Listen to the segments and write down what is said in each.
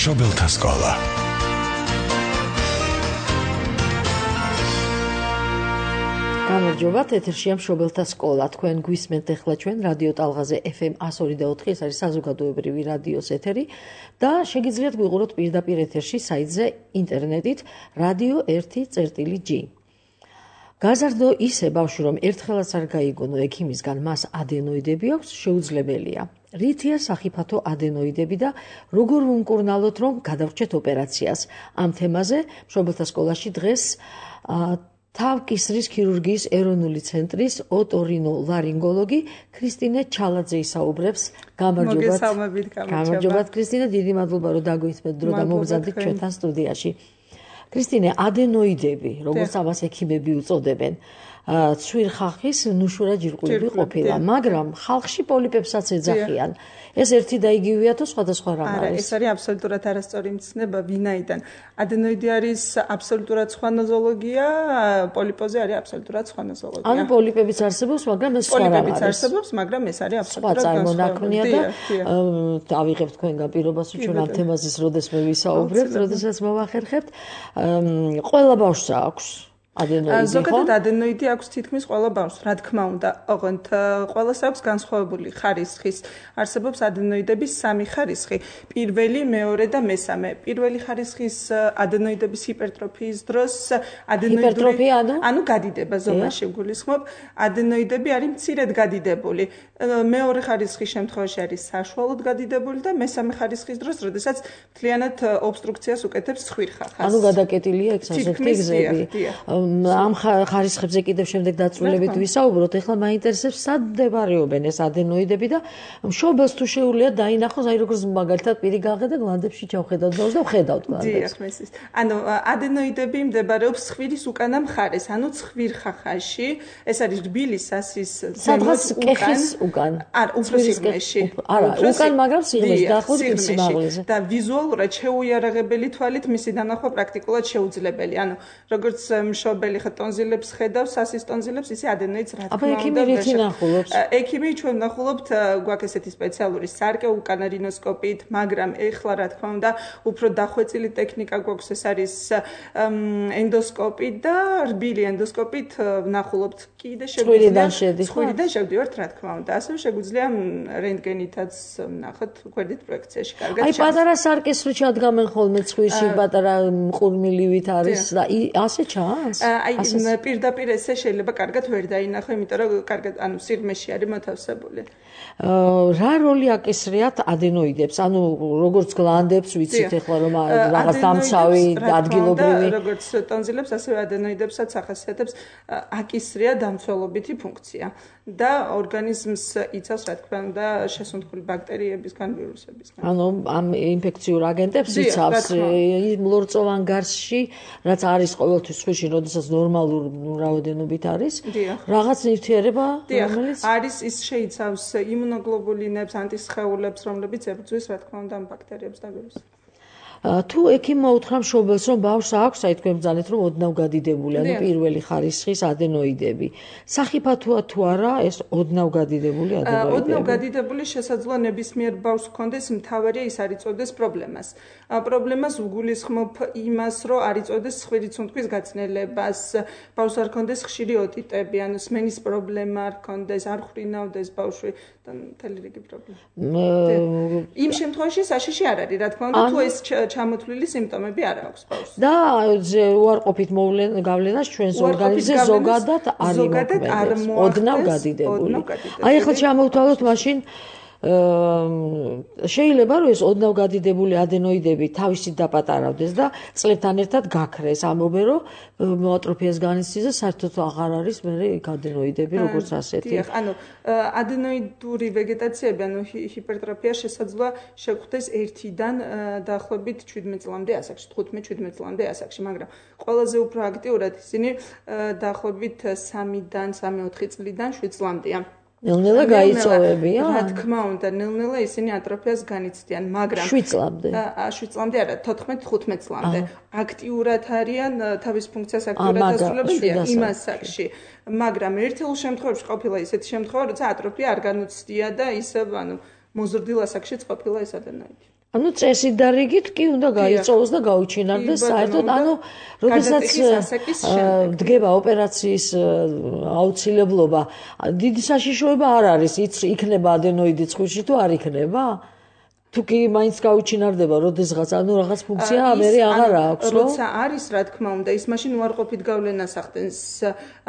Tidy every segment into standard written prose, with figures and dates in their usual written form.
მშობელთა სკოლა. გამარჯობათ, ეთერშია მშობელთა სკოლა. თქვენ გვისმენთ ახლა ჩვენ რადიო ტალღაზე FM 102.4, ეს არის საზოგადოებრივი რადიოს ეთერი და შეგიძლიათ გვიყუროთ პირდაპირ ეთერში საიტზე ინტერნეტით radio1.g. გაზარდო ისე ბავშვი, რომ ერთხელაც არ გაიგონო ექიმისგან მას ადენოიდები აქვს, შეუძლებელია. რითია სახიფათო ადენოიდები და როგორ ვუმკურნალოთ, რომ გადავჭეთ ოპერაციას? ამ თემაზე მშობელთა სკოლაში დღეს თავკისრის ქირურგიის ეროვნული ცენტრის ოტორინოლარინგოლოგი ქრისტინე ჩალაძე ისაუბრებს. გამარჯობათ ქრისტინე, დიდი მადლობა რომ დაგვისმენთ დრო და მოგზადდით ჩვენთან სტუდიაში. ქრისტინე, ადენოიდები, როგორც ამას ექიმები უწოდებენ, ცვირხახის ნუშურა ჯირკვლები ყოფილა, მაგრამ ხალხში პოლიპებსაც ეძახიან. ეს ერთი და იგივეა თუ სხვადასხვა რამ არის? არა, ეს არის აბსოლუტურად არასწორი მცნება, ვინაიდან ადენოიდი არის აბსოლუტურად სხვა ნოზოლოგია, პოლიპოზე არის აბსოლუტურად სხვა ნოზოლოგია. ანუ პოლიპებიც არსებობს, მაგრამ ეს სხვა რამ არის. პოლიპებიც არსებობს, მაგრამ ეს არის აბსოლუტურად წარმონაქმნია და ავიღებთ თქვენგან პირობას, რომ ჩვენ ამ თემაზე როდესმე ვისაუბრებთ, როდესაც მოვახერხებთ, ყველა ბავშვს აქვს ადენოიდი. ზოგადად ადენოიდი აქვს თითქმის ყველა ბავშვს, რა თქმა უნდა, ოღონდ ყველას აქვს განსხვავებული ხარისხის. არსებობს ადენოიდების სამი ხარისხი: პირველი, მეორე და მესამე. პირველი ხარისხის ადენოიდების ჰიპერტროფიის დროს ანუ გადიდება ზომაში გულისხმობ, ადენოიდები არის მცირედ გადიდებული. მეორე ხარისხის შემთხვევაში არის საშუალოდ გადიდებული და მესამე ხარისხის დროს, როდესაც მთლიანად ობსტრუქციას უკეთებს ცხვირხახას. ანუ გადაკეტილია ეგ სასოფლო გზები. ამ ხარისხებზე კიდევ შემდეგ დაწვრილებით ვისაუბროთ. ეხლა მაინტერესებს, სად მდებარეობენ ეს ადენოიდები და მშობელს თუ შეუძლია დაინახოს, აი როგორც მაგალითად პირი გაყედა გლანდებში ჩავხედავთ ბავშვს და ვხედავთ გლანდებს. ანუ ადენოიდები მდებარეობს ცხვირის უკანა მხარეს, ანუ ცხვირხახაში. ეს არის რბილი სასის სადღაც კეხის უკან. არა, უფრო სიღრმეში. არა, უკან, მაგრამ სიღრმეში დაახლოებით სიმაღლეზე. და ვიზუალურად შეუიარაღებელი თვალით მისი დანახვა პრაქტიკულად შეუძლებელი. ანუ როგორც მშობელი ტონზილებს ხედავს, სასის ტონზილებს, ისე ადენოიდს რა თქმა უნდა. აბა ექიმი ნახულობს? ექიმი ჩვენ ვნახულობთ, გვაქვს ესეთი სპეციალური სარკე უკანა რინოსკოპით, მაგრამ ეხლა რა თქმა უნდა, უფრო დახვეწილი ტექნიკა გვაქვს, ეს არის ენდოსკოპი და რბილი ენდოსკოპით ვნახულობთ. კიდე შეგვიძლია ცხვირიდან შევდივართ, რა თქმა უნდა. ასევე შეგვიძლია რენტგენითაც ვნახოთ გვერდით პროექციაში. კარგად. აი პატარა სარკეს რო ჩადგამენ ხოლმე ცხვირში, პატარა მყურმილივით არის და ასე ჩანს? აი პირდაპირ ესე შეიძლება კარგად ვერ დაინახო, იმიტომ რომ კარგად ანუ სიღრმეში არის მოთავსებული. რა როლი აკისრიათ ადენოიდებს? ანუ როგორც გლანდებს ვიცით ეხლა რომ რაღაც დამცავი ადგილობრივი, როგორც ტონზილებს, ასევე ადენოიდებსაც ახასიათებს აკისრია დამცველობითი ფუნქცია და ორგანიზმს იცავს, რა თქმა უნდა, შესუნთქული ბაქტერიებისგან, ვირუსებისგან. ანუ ამ ინფექციურ აგენტებს იცავს მლორწოვან გარსში, რაც არის ყოველთვის ცხვირში, როდესაც ნორმალურ რაოდენობით არის. რაღაც ნივთიერება, რომელიც არის, ის შეიცავს იმუნოგლობულინებს, ანტისხეულებს, რომლებიც ებრძვის, რა თქმა უნდა, ამ ბაქტერიებს და ვირუსებს. თუ ექიმმა უთხრა მშობელს, რომ ბავშვს აქვს, აი თქვენ ბრძანეთ, რომ ოდნავ გადიდებული, ანუ პირველი ხარისხის ადენოიდები. სახიფათოა თუ არა ეს ოდნავ გადიდებული ადენოიდები? ოდნავ გადიდებული შესაძლოა ნებისმიერ ბავშვს ჰქონდეს, მთავარია ის არ იწოდეს პრობლემას. პრობლემას ვგულისხმობ იმას, რომ არ იწოდეს ცხვირის სუნთქვის გაცნელებას, ბავშვს არ ჰქონდეს ხშირი ოტიტები, ანუ სმენის პრობლემა არ ჰქონდეს, არ ხრინავდეს ბავშვი და მთელი რიგი პრობლემა. იმ შემთხვევაში საშიში არ არის, რა თქმა უნდა, თუ ეს ჩამოთვლილი სიმპტომები არ აქვს ბავშვს. და უარყოფით გავლენას ჩვენს ორგანიზმზე ზოგადად არ იმოქმედებს, ოდნავ გადიდებული. აი ახლა ჩამოვთვალოთ მაშინ შეიძლება რომ ეს ოდნავ გადიდებული ადენოიდები თავისით დაპატარავდეს და წლებთან ერთად გაქრეს. ამობენ რომ მოატროფიას განიცდის და საერთოდ აღარ არის მე ადენოიდები როგორც ასეთი. ანუ ადენოიდური ვეგეტაციები, ანუ ჰიპერტროფია შესაძლოა შეგვხვდეს 1-დან დაახლოებით 17 წლამდე ასაკში, 15-17 წლამდე ასაკში, მაგრამ ყველაზე უფრო აქტიურად ისინი დაახლოებით 3-დან 3-4 წლიდან 7 წლამდეა. ნელ-ნელა გაიწოვებია? რა თქმა უნდა, ნელ-ნელა ისინი ატროფიას განიცდიან, მაგრამ 7 წლამდე. 7 წლამდე არა, 14-15 წლამდე. აქტიურად არიან, თავის ფუნქციას აქტიურად ასრულებენ იმ ასაკში. მაგრამ ერთეულ შემთხვევებში ყოფილა ისეთი შემთხვევა, როცა ატროფია არ განუცდია და ისევ, ანუ მოზრდილ ასაკშიც ყოფილა ეს ადენოიდი. ანუ წესით და რიგით კი უნდა გაიწოვოს და გაუჩინარდეს საერთოდ როდესაც დგება ოპერაციის აუცილებლობა დიდი საშიშროება არ არის იქნება ადენოიდი ცხვირში თუ არ იქნება თუ კი მაინც გაუჩინარდება როდესღაც რაღაც ფუნქცია მერე აღარ აქვს როცა არის რა თქმა უნდა ის მაშინ უარყოფით გავლენას ახდენს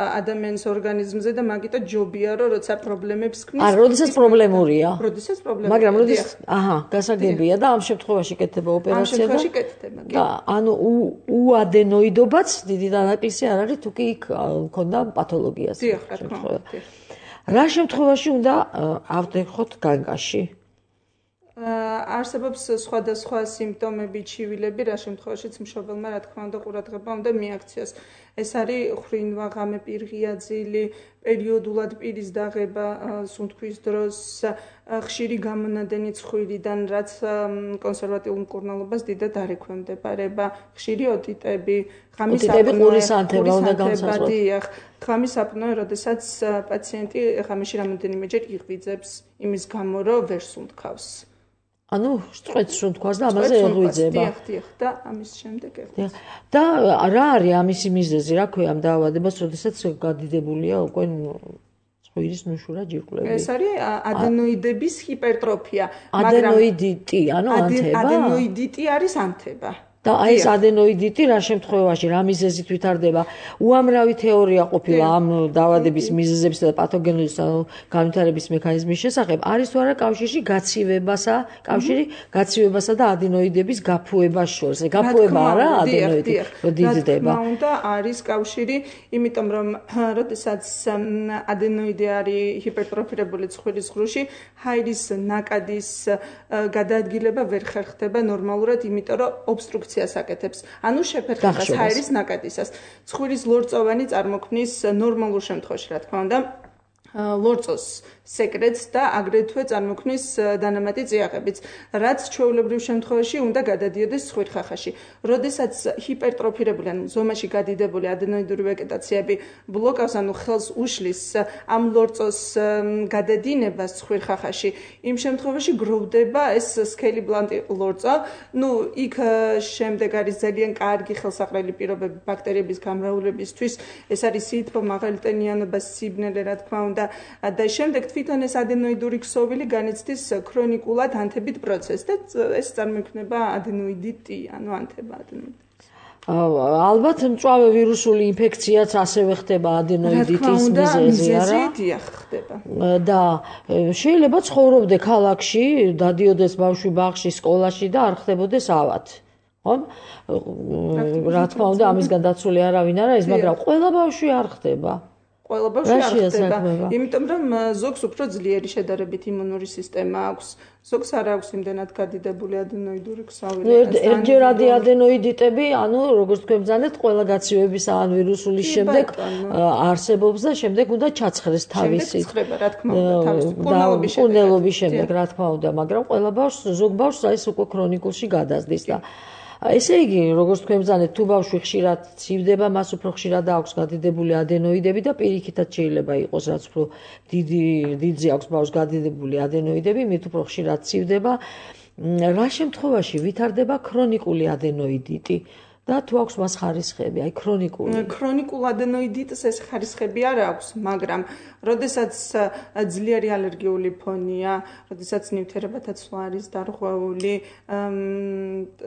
ადამიანის ორგანიზმზე და მაგიტო ჯობია რომ როცა პრობლემებს ქმნის როდესაც პრობლემურია მაგრამ გასაგებია და ამ შემთხვევაში კეთდება ოპერაცია და ამ შემთხვევაში კეთდება და უადენოიდობაც დიდი დანაკლისი არ არის თუ კი იქ მქონდა პათოლოგია დიახ რა თქმა უნდა რა შემთხვევაში უნდა ავდექოთ განგაში არსებობს სხვადასხვა სიმპტომები, ჩივილები, რა შემთხვევაშიც მშობელმა რა თქმა უნდა ყურადღება უნდა მიაქციოს. ეს არის ხრინვა, ღამე პირღია ძილი, პერიოდულად პირის დაღება სუნთქვის დროს, ხშირი გამონადენი ცხვირიდან, რაც კონსერვატიულ მკურნალობას დიდად არ ექვემდებარება, ხშირი ოტიტები, ღამის აპნოე, ღამის აპნოე, როდესაც პაციენტი ღამეში რამოდენიმეჯერ იღვიძებს იმის გამო, რომ ვერ სუნთქავს. ანუ სწორედ სუნთქვას და ამაზე ეღვიძება. დიახ, და ამის შემდეგ ეღვიძება. და რა არის ამისი მიზეზი, რა ქვია ამ დაავადებას, როდესაც გადიდებულია უკვე ცხვირის ნუშურა ჯირკვლები? ეს არის ადენოიდების ჰიპერტროფია, ადენოიდიტი, ანუ ანთება? ადენოიდიტი არის ანთება. და აი ეს ადენოიდიტი რა შემთხვევაში რა მიზეზით ვითარდება? უამრავი თეორია ყოფილა ამ დაავადების მიზეზებისა და პათოგენების განვითარების მექანიზმის შესახებ. არის თუ არა კავშირი გაცივებასა და ადენოიდების გაფუებას შორის. გაფუება არა ადენოიდი რომ დიდდება. რა თქმა უნდა არის კავშირი, იმიტომ რომ როდესაც ადენოიდი არის ჰიპერტროფირებული ცხვირის ღრუში, ჰაერის ნაკადის გადაადგილება ვერ ხერხდება ნორმალურად, იმიტომ რომ ობსტრუქცია აკეთებს. ანუ შეფერხებას ჰაერის ნაკადისას. ცხვირის ლორწოვანი წარმოქმნის ნორმალურ შემთხვევაში, რა თქმა უნდა, ლორწოს სეკრეტს და აგრეთვე წარმოქმნის დანამატი წიაღებიც, რაც ჩვეულებრივ შემთხვევაში უნდა გადადიოდეს ცხვირხახაში. როდესაც ჰიპერტროფირებული, ანუ ზომაში გადიდებული ადენოიდური ვეგეტაციები ბლოკავს, ანუ ხელს უშლის ამ ლორწოს გადადინებას ცხვირხახაში, იმ შემთხვევაში გროვდება ეს სქელი ბლანტი ლორწო. იქ შემდეგ არის ძალიან კარგი ხელსაყრელი პირობები ბაქტერიების გამრავლებისთვის. ეს არის სითბო, მაღალტენიანობა, სიბნელე, რა თქმა უნდა. და შემდეგ თვითონ ეს ადენოიდური ქსოვილი განიცდის ქრონიკულად ანთებით პროცესს და ეს წარმოიქმნება ადენოიდიტი, ანუ ანთება ადენოიდიტი. ალბათ მწვავე ვირუსული ინფექციაც ასევე ხდება ადენოიდიტის მიზეზი, არა? დიახ, ხდება. და შეიძლება ცხოვრობდე ქალაქში, დადიოდეს ბავშვი ბაღში, სკოლაში და არ ხდებოდეს ავად. ხო? რა თქმა უნდა, ამისგან დაცული არავინ არ არის, მაგრამ ყველა ბავშვი არ ხდება. ყველა ბავშვი არ ხდება, იმიტომ რომ ზოგს უფრო ძლიერი შედარებით იმუნური სისტემა აქვს, ზოგს არ აქვს იმდენად გადიდებული ადენოიდური ქსოვილი. ერთჯერადი ადენოიდიტები, ანუ როგორც თქვენ ბრძანეთ, ყველა გაცივებისა ან ვირუსული შემდეგ არსებობს და შემდეგ უნდა ჩაცხრეს თავისით. შემდეგ ცხრება, რა თქმა უნდა, თავისით. კურნელობის შემდეგ, რა თქმა უნდა, მაგრამ ყველა ბავშვს, ზოგ ბავშვს ეს უკვე ქრონიკულში გადასდის და ესე იგი, როგორც თქვენ ბრძანეთ, თუ ბავშვი ხშირად ცივდება, მას უფრო ხშირად აქვს გადიდებული ადენოიდები და პირიქითაც შეიძლება იყოს, რაც უფრო დიდზე აქვს ბავშვს გადიდებული ადენოიდები, მით უფრო ხშირად ცივდება. რა შემთხვევაში ვითარდება ქრონიკული ადენოიდიტი? და თუ აქვს მას ხარისხები, აი ქრონიკულ ადენოიდიტს ეს ხარისხები არ აქვს, მაგრამ როდესაც ძლიერი ალერგიული ფონია, როდესაც ნივთიერებათა ცვლა არის დარღვეული,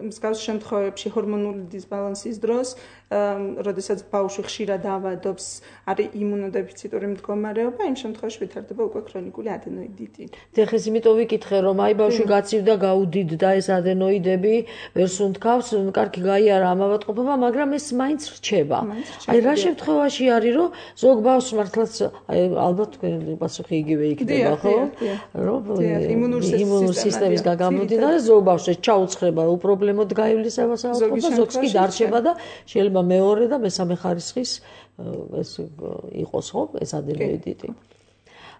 მსგავს შემთხვევებში ჰორმონული დისბალანსის დროს, როდესაც ბავშვი ხშირად ავადობს, არის იმუნოდეფიციტური მდგომარეობა, იმ შემთხვევაში ვითარდება უკვე ქრონიკული ადენოიდიტი. ეხლა იმიტომ ვიკითხე, რომ აი ბავშვი გაცივდა, გაუდიდდა ეს ადენოიდები, ვერ სუნთქავს, კარგი გაიარა ამ ავადმყოფობა, მაგრამ ეს მაინც რჩება. აი რა შემთხვევაში არის, რომ ზოგ ბავშვს მართლაც ალბათ თქვენი პასუხი იგივე იქნება, ხო? რომ იმუნური სისტემის გამომდინარე ზოგ ბავშვს ჩაუცხრება უპრობლემოდ გაივლის ავადმყოფობა, ზოგს კი დარჩება და შეიძლება მეორე და მესამე ხარისხის ეს იყოს, ხო? ეს ადენოიდიტი.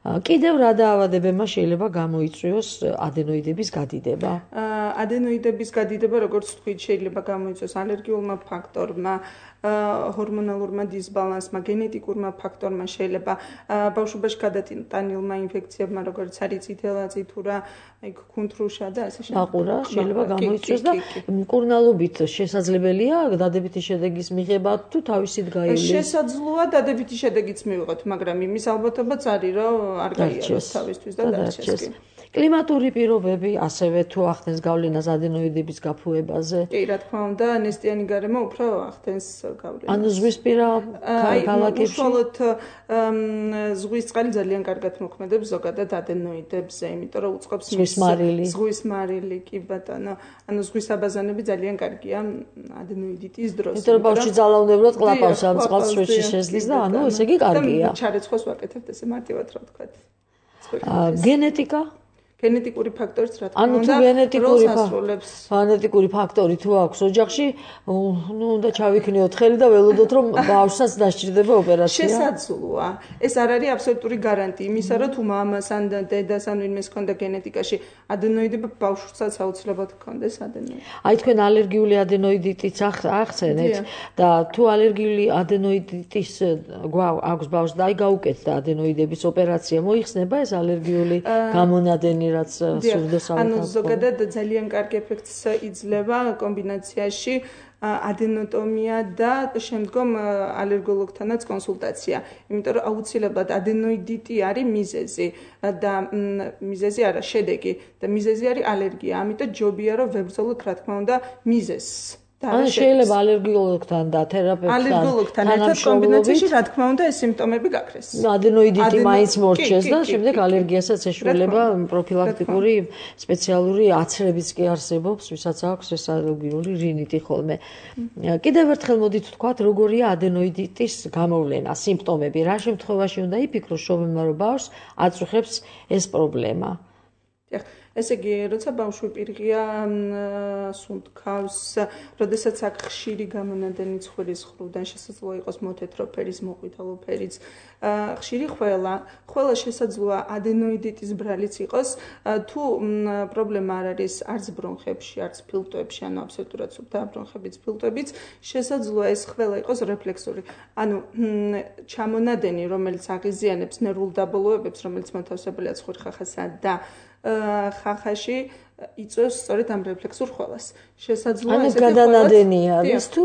კიდევ რა დაავადებებმა შეიძლება გამოიწვიოს ადენოიდების გადიდება? ადენოიდების გადიდება, როგორც თქვით, შეიძლება გამოიწვიოს ალერგიულმა ფაქტორმა, ჰორმონალურმა დისბალანსმა, გენეტიკურმა ფაქტორმა, შეიძლება ბავშვობაში გადატანილმა ინფექციებმა, როგორც არის წითელაწითურა, კუნთრუშა და ასე შემდეგ. აყურა შეიძლება გამოიწვიოს და მკურნალობით შესაძლებელია დადებითი შედეგის მიღება თუ თავისით გაივლის? შესაძლოა დადებითი შედეგიც მივიღოთ, მაგრამ იმის ალბათობაც არის, რომ არ გაიაროს თავისთვის და დარჩეს. კლიმატური პირობები ასევე თუ ახდენს გავლენას ადენოიდების გაფუებაზე? კი, რა თქმა უნდა, ნესტიანი გარემო უფრო ახდენს გავლენას. ანუ ზღვისპირა ქალაქებში? უშუალოდ ზღვის წყალი ძალიან კარგად მოქმედებს ზოგადად ადენოიდებზე, იმიტომ რომ უწყობს ზღვის მარილი, კი ბატონო. ანუ ზღვის აბაზანები ძალიან კარგია ადენოიდიტის დროს. იმიტომ რომ ბავშვი ძალაუნდებლად ყლაპავს ამ წყალს ზღვაში შეძლის და ანუ ესე იგი კარგია. და ჩარეცხოს ვაკეთებთ ესე მარტივად რა ვთქვათ. გენეტიკა? გენეტიკური ფაქტორიც რა თქმა ანუ თუ გენეტიკური გენეტიკური ფაქტორი თუ აქვს ოჯახში, ნუ უნდა ჩავიქნიოთ ხელი და ველოდოთ რომ ბავშვსაც დასჭირდება ოპერაცია. შესაძლოა. ეს არ არის აბსოლუტური გარანტია იმისა, რომ თუ მამას ან დედას ან ვინმეს ქონდა გენეტიკაში ადენოიდები, ბავშვსაც აუცილებლად ქონდეს ადენოიდი. აი თქვენ ალერგიული ადენოიდიტიც ახსენეთ და თუ ალერგიული ადენოიდიტის აქვს ბავშვს და აი გაუკეთდა ადენოიდების ოპერაცია, მოიხსნება ეს ალერგიული გამონადენი რაც სურდოს ავთანხმდება. ანუ ზოგადად ძალიან კარგი ეფექტს იძლევა კომბინაციაში ადენოტომია და შემდგომ ალერგოლოგთანაც კონსულტაცია. იმიტომ რომ აუცილებლად ადენოიდიტი არის მიზეზი და მიზეზი არა, შედეგი და მიზეზი არის ალერგია. ამიტომ ჯობია რომ ვებრძოლოთ რა თქმა უნდა მიზეზს. ანუ შეიძლება ალერგოლოგთან და თერაპევტთან ერთად კომბინაციაში რა თქმა უნდა ეს სიმპტომები გაქრეს. ადენოიდიტი მაინც მორჩეს და შემდეგ ალერგიასაც ეშველება პროფილაქტიკური სპეციალური აცრებიც კი არსებობს, ვისაც აქვს ეს ალერგიული რინიტი ხოლმე. კიდევ ერთხელ მოდით ვთქვათ, როგორია ადენოიდიტის გამოვლენა, სიმპტომები, რა შემთხვევაში უნდა იფიქროს შობილმა რომ ბავშვს აწუხებს ეს პრობლემა. ესე იგი, როცა ბავშვი პირღია სუნთქავს, როდესაც აქ ხშირი გამონადენი ცხვირის ხრუდან შესაძლოა იყოს მოთეთრო ფერის, მოყვითალო ფერიც, ხშირი ხველა შესაძლოა ადენოიდიტის ბრალიც იყოს, თუ პრობლემა არ არის არც ბრონხებში, არც ფილტვებში, ანუ აბსოლუტურად სუფთა ბრონხებიც, ფილტვებიც, შესაძლოა ეს ხველა იყოს რეფლექსური. ანუ ჩამონადენი, რომელიც აღიზიანებს ნერვულ დაბოლოებებს, რომელიც მოთავსებულია ცხვირხახასა და ხახაში იწვევს სწორედ ამ რეფლექსურ ხველას. შესაძლოა ესეთი გადანადენი არის თუ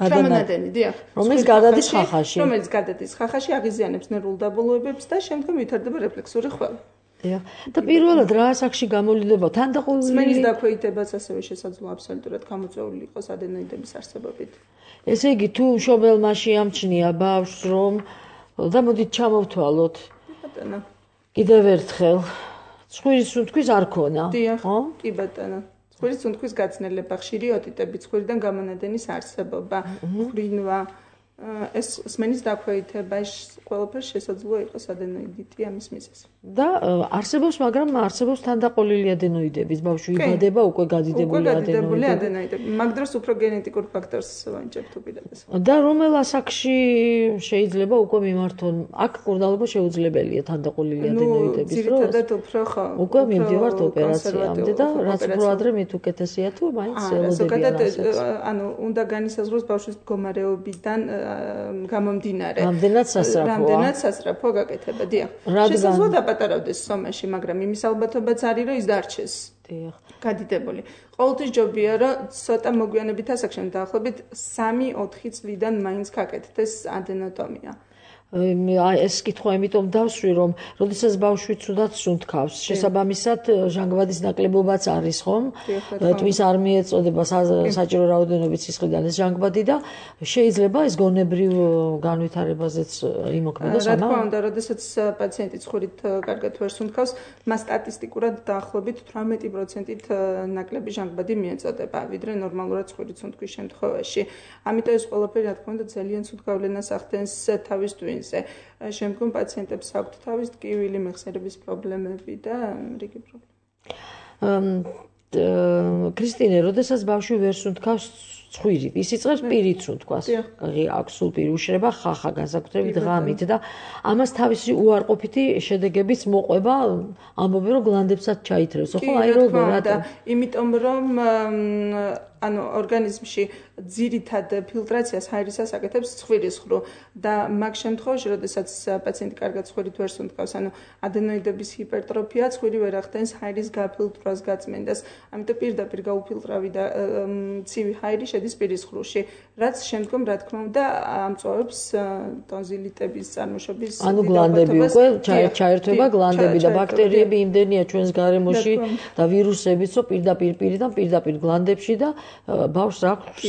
ჩამონადენი, დიახ. რომელიც გადადის ხახაში. რომელიც გადადის ხახაში, აღიზიანებს ნერვულ დაბოლოებებს და შემდგომ ვითარდება რეფლექსური ხველა. დიახ. და პირველად რა ასაკში გამოვლდება თანდაყოლილი სმენის დაქვეითებაც ასევე შესაძლოა აბსოლუტურად გამოწვეული იყოს ადენოიდების არსებობით. ესე იგი, თუ მშობელმა შეამჩნია ბავშვს რომ და მოდით ჩამოვთვალოთ. ბატონო. კიდევ ერთხელ ცხვირის სუნთქვის არ ქონა, ხო? კი ბატონო. ცხვირის სუნთქვის გაცნელება, ხშირი ოტიტები, ცხვირიდან გამონადენის არსებობა, ხრინვა, ეს სმენის დაქვეითება, ყველაფერს შესაძლოა იყოს ადენოიდიტი ამის მიზეზი. და არსებობს, მაგრამ არსებობს თანდაყოლილი ადენოიდების, ბავშვი იბადება უკვე გადიდებული ადენოიდები. მაგ დროს უფრო გენეტიკურ ფაქტორს ვანიჭებთ უპირატესად. და რომელ ასაკში შეიძლება უკვე მიმართონ? აქ მკურნალობა შეუძლებელია თანდაყოლილი ადენოიდების დროს. ძირითადად უფრო ხო. უკვე მივდივართ ოპერაციამდე და რაც უფრო ადრე მით უკეთესია თუ მაინც ელოდებიან. ზოგადად ანუ უნდა განისაზღვროს ბავშვის მდგომარეობიდან გამომდინარე. რამდენად სასწრაფოა გაკეთება, დიახ. შესაძლოა დაპატარავდეს სომაში, მაგრამ იმის ალბათობაც არის, რომ ის დარჩეს. დიახ. გადიდებული. ყოველთვის ჯობია, რომ ცოტა მოგვიანებით ასაკში, დაახლოებით 3-4 წლიდან მაინც გაკეთდეს ადენოტომია. ეს კითხვა იმიტომ დავსვი, რომ როდესაც ბავშვი ცუდად სუნთქავს, შესაბამისად ჟანგბადის ნაკლებობაც არის, ხომ? თმის არ მიეწოდება საჭირო რაოდენობით სისხლიდან ეს ჟანგბადი და შეიძლება ეს გონებრივ განვითარებაზეც იმოქმედოს, რა თქმა უნდა, როდესაც პაციენტი ცხვირით კარგად ვერ სუნთქავს, მას სტატისტიკურად დაახლოებით 18%-ით ნაკლები ჟანგბადი მიეწოდება, ვიდრე ნორმალურად ცხვირით სუნთქვის შემთხვევაში. ამიტომ ეს ყველაფერი, რა თქმა უნდა, ძალიან ცუდ გავლენას ახდენს თავის ტვინს. შემდგომ პაციენტებს აქვთ თავის ტკივილი, მეხსიერების პრობლემები და რიგი პრობლემა. ქრისტინე, როდესაც ბავშვი ვერ სუნთქავს ცხვირით, ის იწყებს პირით სუნთქვას. აქვს სულ პირ უშრება ხახა განსაკუთრებით ღამით და ამას თავისი უარყოფითი შედეგებიც მოყვება, ამბობენ რომ გლანდებსაც ჩაითრევს, ხო? აი როგორ რატო? იმიტომ რომ ანუ ორგანიზმში ძირითად ფილტრაციას ჰაერისას აკეთებს ცხვირის ხრუ და მაგ შემთხვევაში, როდესაც პაციენტი კარგად ცხვირით ვერ სუნთქავს, ანუ ადენოიდების ჰიპერტროფია, ცხვირი ვერ ახდენს ჰაერის გაფილტრვას, გაწმენდას, ამიტომ პირდაპირ გაუფილტრავი და ცივი ჰაერი შედის პირის ხრუში, რაც შემდგომ, რა თქმა უნდა, ამწვავებს ტონზილიტების წარმოშობის ანუ გლანდები უკვე ჩაერთვება გლანდები და ბაქტერიები იმდენია ჩვენს გარემოში და ვირუსებიც, რომ პირდაპირ გლანდებში და ბავშვს აქვს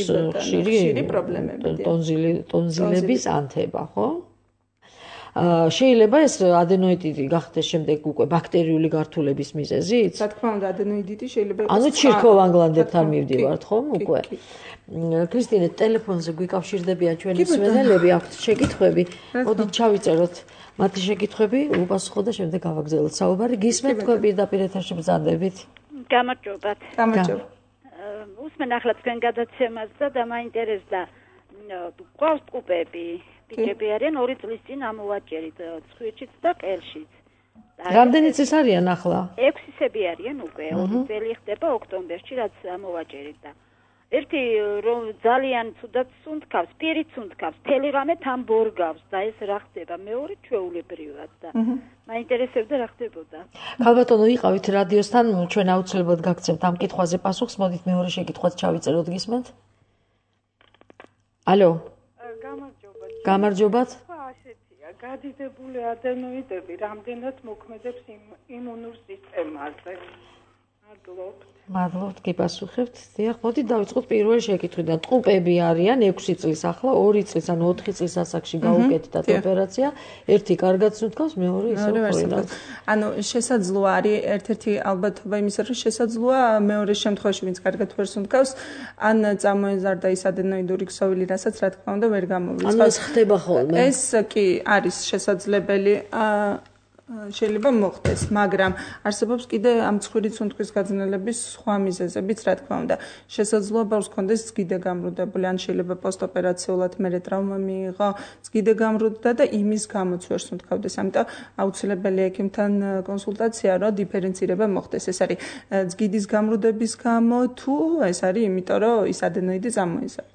ხშირი პრობლემები, ტონზილების ანთება, ხო? შეიძლება ეს ადენოიდიტი გახდეს შემდეგ უკვე ბაქტერიული გართულების მიზეზით? რა თქმა უნდა, ადენოიდიტი შეიძლება იყოს. ანუ ჩირქოვან გლანდებთან მივდივართ, ხო? უკვე. ქრისტინე, ტელეფონზე გვიკავშირდებიან ჩვენი მსმენელები, აქვთ შეკითხვები. მოდით ჩავიწეროთ მათი შეკითხვები, უპასუხო და შემდეგ გავაგრძელოთ საუბარი. გისმენთ თქვენ პირდაპირ ეთერში ბრძანდებით? გამარჯობათ. გამარჯობა. უსმენ ახლა თქვენ გადაცემას და მაინტერესდა ყავს ტყუპები, ბიჭები არიან 2 წლის წინ ამოვაჭერით ცხვირშიც და ყელშიც. რამდენი წლის არიან ახლა? 6 წელი არიან უკვე, 2 წელი ხდება ოქტომბერში, რაც ამოვაჭერით და ერთი რომ ძალიან ცუდად სუნთქავს, პირით სუნთქავს, თელი ღამე თან ბორგავს და ეს რა ხდება? მეორე ჩვეულებრივად და მაინტერესებდა რა ხდებოდა. ქალბატონო, იყავით რადიოსთან, ჩვენ აუცილებლად გაგცემთ ამ კითხვაზე პასუხს. მოდით მეორე შეკითხვაც ჩავიწეროთ, გისმენთ? ალო. გამარჯობათ. ასეთია, გადიდებული ადენოიდები რამდენად მოქმედებს იმუნურ სისტემაზე. მადლობთ, გიპასუხებთ. დიახ, მოდით დავიწყოთ პირველი შეკითხვიდან. ტყუპები არიან 6 წლის ახლა, 2 წლის ან 4 წლის ასაკში გაუკეთდათ ოპერაცია, ერთი კარგად სუნთქავს, მეორე ისევ ხორინავს. ანუ შესაძლოა არის ერთ-ერთი ალბათობა იმისა, რომ შესაძლოა მეორე შემთხვევაში, ვინც კარგად ვერ სუნთქავს, ან წამოეზარდა ის ადენოიდური ქსოვილი, რასაც რა თქმა უნდა ვერ გამოვრიცხავს. ანუ ეს ხდება ხოლმე. ეს კი არის შესაძლებელი. შეიძლება მოხდეს, მაგრამ არსებობს კიდე ამ ცხვირის სუნთქვის გაძნელების სხვა მიზეზებიც, რა თქმა უნდა. შესაძლოა ბავშვს ჰქონდეს ზგიდე გამრუდებული, ან შეიძლება პოსტოპერაციულად მერე ტრავმა მიიღო, ზგიდე გამრუდდა და იმის გამოც ვერ სუნთქავდეს. ამიტომ აუცილებელია ექიმთან კონსულტაცია, რომ დიფერენცირება მოხდეს. ეს არის ზგიდის გამრუდების გამო თუ ეს არის იმიტომ, რომ ის ადენოიდი წამოიზარდა.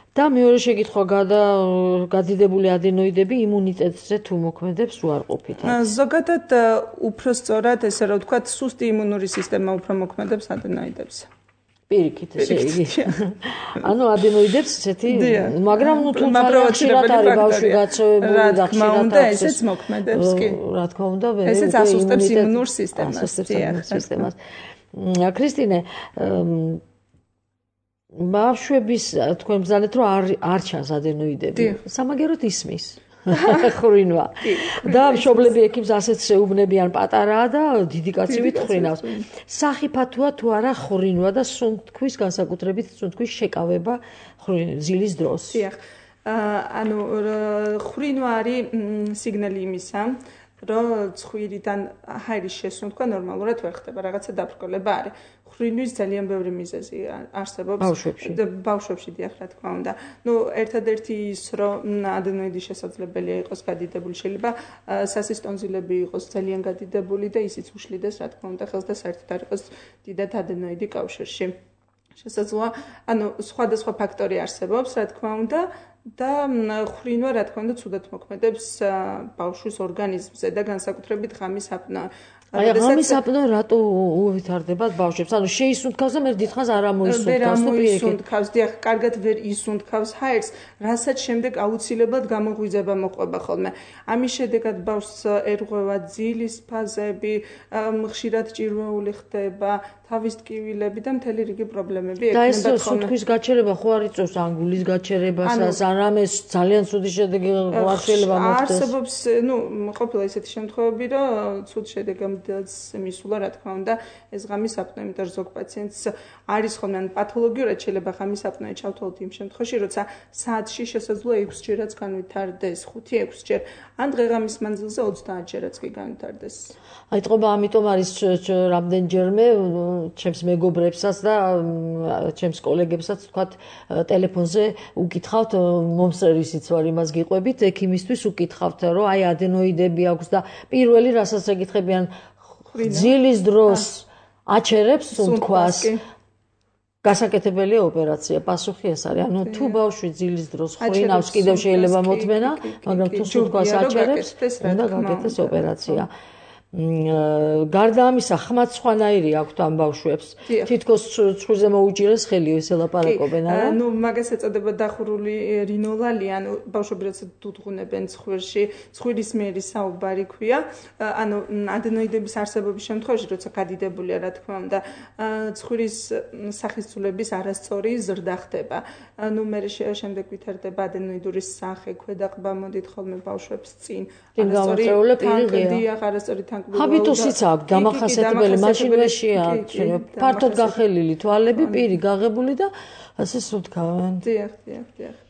და მეორე შეკითხვა, გადიდებული ადენოიდები იმუნიტეტზე თუ მოქმედებს უარყოფითად? ზოგადად უფრო სწორად, ესე რომ ვთქვათ, სუსტი იმუნური სისტემა უფრო მოქმედებს ადენოიდებზე. პირიქით, ესე იგი. ანუ ადენოიდებს ესეთი, მაგრამ ნუ თუმცა ხშირად არის ბავშვი გაწევებული და ხშირად ესეც მოქმედებს კი. რა თქმა უნდა, ესეც ასუსტებს იმუნურ სისტემას. ქრისტინე, ბავშვების თქვენ ბრძანეთ რომ არ ჩანს ადენოიდები. სამაგეროდ ისმის. ხრინვა. და მშობლები ექიმს ასეც შეუბნებიან, პატარაა და დიდი კაცივით ხრინავს. სახიფათოა თუ არა ხრინვა და სუნთქვის განსაკუთრებით სუნთქვის შეკავება ძილის დროს. დიახ. ანუ ხრინვა არის სიგნალი იმისა, რომ ცხვირიდან ჰაერის შესუნთქვა ნორმალურად ვერ ხდება, რაღაცა დაბრკოლება არის. ხრინვის ძალიან ბევრი მიზეზი არსებობს ბავშვებში, დიახ, რა თქმა უნდა. ნუ ერთადერთი ის, რომ ადენოიდი შესაძლებელია იყოს გადიდებული, შეიძლება სასის ტონზილები იყოს ძალიან გადიდებული და ისიც უშლიდეს, რა თქმა უნდა, ხელს და საერთოდ არ იყოს დიდად ადენოიდი კავშირში. შესაძლოა, ანუ სხვადასხვა ფაქტორი არსებობს, რა თქმა უნდა, და ხრინვა, რა თქმა უნდა, ცუდად მოქმედებს ბავშვის ორგანიზმზე და განსაკუთრებით ღამის აპნოა. აი, ღამის აპნოა რატო უვითარდებათ ბავშვებს? ანუ შეისუნთქავს და მე დიდხანს არ ამოისუნთქავს თუ პირიქით. დიახ, კარგად ვერ ისუნთქავს ჰაერს, რასაც შემდეგ აუცილებლად გამოღვიძება მოყვება ხოლმე. ამის შედეგად ბავშვს ერღვევა ძილის ფაზები, ხშირად ჭირვეული ხდება, თავის ტკივილები და მთელი რიგი პრობლემები ექნება. და ეს სუნთქვის გაჩერება ხო არ იწევს ანგულის გაჩერებასაც, ან რამეს ძალიან ცუდი შედეგი არ შეიძლება მოხდეს. არსებობს, ყოფილა ისეთი შემთხვევები, რომ ცუდ შედეგამდე ინვალიდადაც მისულა, რა თქმა უნდა, ეს ღამის აპნოე, იმიტომ რომ ზოგ პაციენტს არის ხოლმე ან პათოლოგიურად შეიძლება ღამის აპნოე ჩავთვალოთ იმ შემთხვევაში, როცა საათში შესაძლოა 6 ჯერაც განვითარდეს, 5-6 ჯერ, ან დღე-ღამის მანძილზე 30 ჯერაც კი განვითარდეს. აი თქობა, ამიტომ არის რამდენჯერმე ჩემს მეგობრებსაც და ჩემს კოლეგებსაც თქვათ ტელეფონზე უკითხავთ, მომსწრისიც ვარ იმას გიყვებით, ექიმისთვის უკითხავთ, რომ აი ადენოიდები აქვს და პირველი რასაც ეკითხებიან, ძილის დროს აჩერებს სუნთქვას. გასაკეთებელია ოპერაცია, პასუხი ეს არის. ანუ თუ ბავშვი ძილის დროს ხრინავს, კიდევ შეიძლება მოთმენა, მაგრამ თუ სუნთქვას აჩერებს, უნდა გაკეთდეს ოპერაცია. გარდა ამისა, ხმაც სხვანაირი აქვთ ამ ბავშვებს. თითქოს ცხვირზე მოუჭირეს ხელი, ესე ლაპარაკობენ, არა? ნუ მაგას ეწოდება დახურული რინოლალი, ანუ ბავშვები როცა დუდღუნებენ ცხვირში, ცხვირის მიერი საუბარი ქვია. ანუ ადენოიდების არსებობის შემთხვევაში, როცა გადიდებულია, რა თქმა უნდა, ცხვირის სახისწულების არასწორი ზრდა ხდება. ნუ მე შემდეგ ვითარდება ადენოიდური სახე, ქვედაყბა მოდით ხოლმე ბავშვებს წინ. არასწორი თანკდია, არასწორი ჰაბიტუსიც აქვს დამახასიათებელი, მაშინ ვეშია, ფართოდ გახელილი თვალები, პირი გაღებული და ასე სუნთქავენ. დიახ.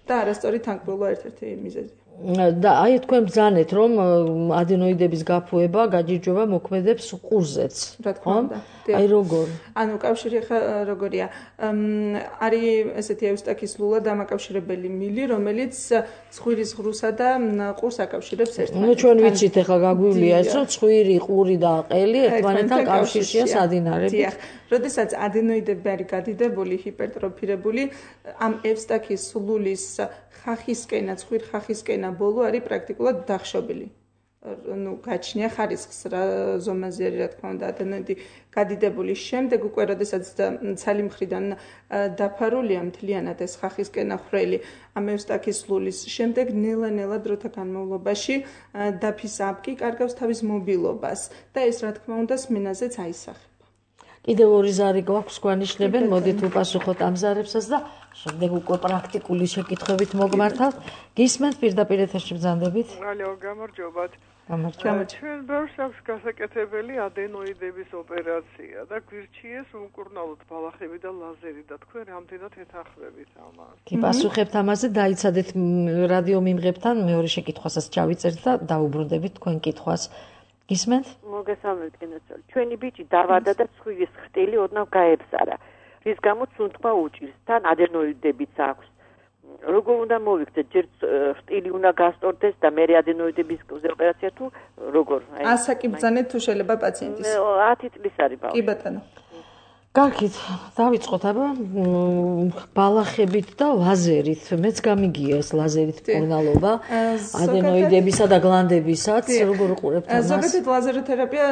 და არასწორი თანკბილობა ერთ-ერთი მიზეზია. და აი თქვენ ბრძანეთ, რომ ადენოიდების გაფუება გაჯიჯობა მოქმედებს ყურზეც. რა თქმა უნდა. აი როგორ? ანუ კავშირი ხა როგორია? არის ესეთი ევსტაქის ლულა დამაკავშირებელი მილი, რომელიც ცხვირის ღრუსა და ყურს აკავშირებს ერთმანეთთან. ნუ ჩვენ ვიცით ახლა გაგვივლია ეს, რომ ცხვირი, ყური და ყელი ერთმანეთთან კავშირშია სადინარებით. დიახ. როდესაც ადენოიდები არის გადიდებული, ჰიპერტროფირებული, ამ ევსტაქის ლულის ხახისკენა, ცხვირ ხახისკენა ბოლო არის პრაქტიკულად დახშობილი. ნუ გაჩნია ხარისხს რა ზომაზე არის, რა თქმა უნდა, ადენოიდი გადიდებული. შემდეგ უკვე როდესაც ცალი მხრიდან დაფარულია მთლიანად ეს ხახისკენა ხრელი ამ ევსტაქის ლულის, შემდეგ ნელა-ნელა დროთა განმავლობაში დაფის აპკი კარგავს თავის მობილობას და ეს რა თქმა უნდა სმენაზეც აისახება. კიდევ ორი ზარი გვაქვს გვანიშნებენ, მოდით უპასუხოთ ამ ზარებსაც და შემდეგ უკვე პრაქტიკული შეკითხვებით მოგმართავთ. გისმენთ პირდაპირ ეთერში ბრძანდებით? ალო, გამარჯობათ. ჩვენ ბავშვს აქვს გასაკეთებელი ადენოიდების ოპერაცია და გვირჩიეს უმკურნალოდ ბალახები და ლაზერი და თქვენ რამდენად ეთანხმებით ამას? კი, პასუხებთ ამაზე, დაიცადეთ რადიო მიმღებთან, მეორე შეკითხვასაც ჩავიწერთ და დაუბრუნდებით თქვენ კითხვას. გისმენთ? მოგესალმებით, გენაცვალ. ჩვენი ბიჭი დავადა და ცხვირის ხტილი ოდნავ გაებსარა, რის გამოც სუნთქვა უჭირს, თან ადენოიდებიც აქვს. როგორ უნდა მოვიქცეთ, ჯერ ხტილი უნდა გასწორდეს და მე ადენოიდების ოპერაცია თუ როგორ? ასაკი ბრძანეთ თუ შეიძლება პაციენტის? 10 წლის არის ბავშვი. კი ბატონო. კარგით, დავიწყოთ აბა ბალახებით და ლაზერით. მეც გამიგია ეს ლაზერით მკურნალობა ადენოიდებისა და გლანდებისაც. როგორ უყურებთ ამას? ზოგადად ლაზეროთერაპია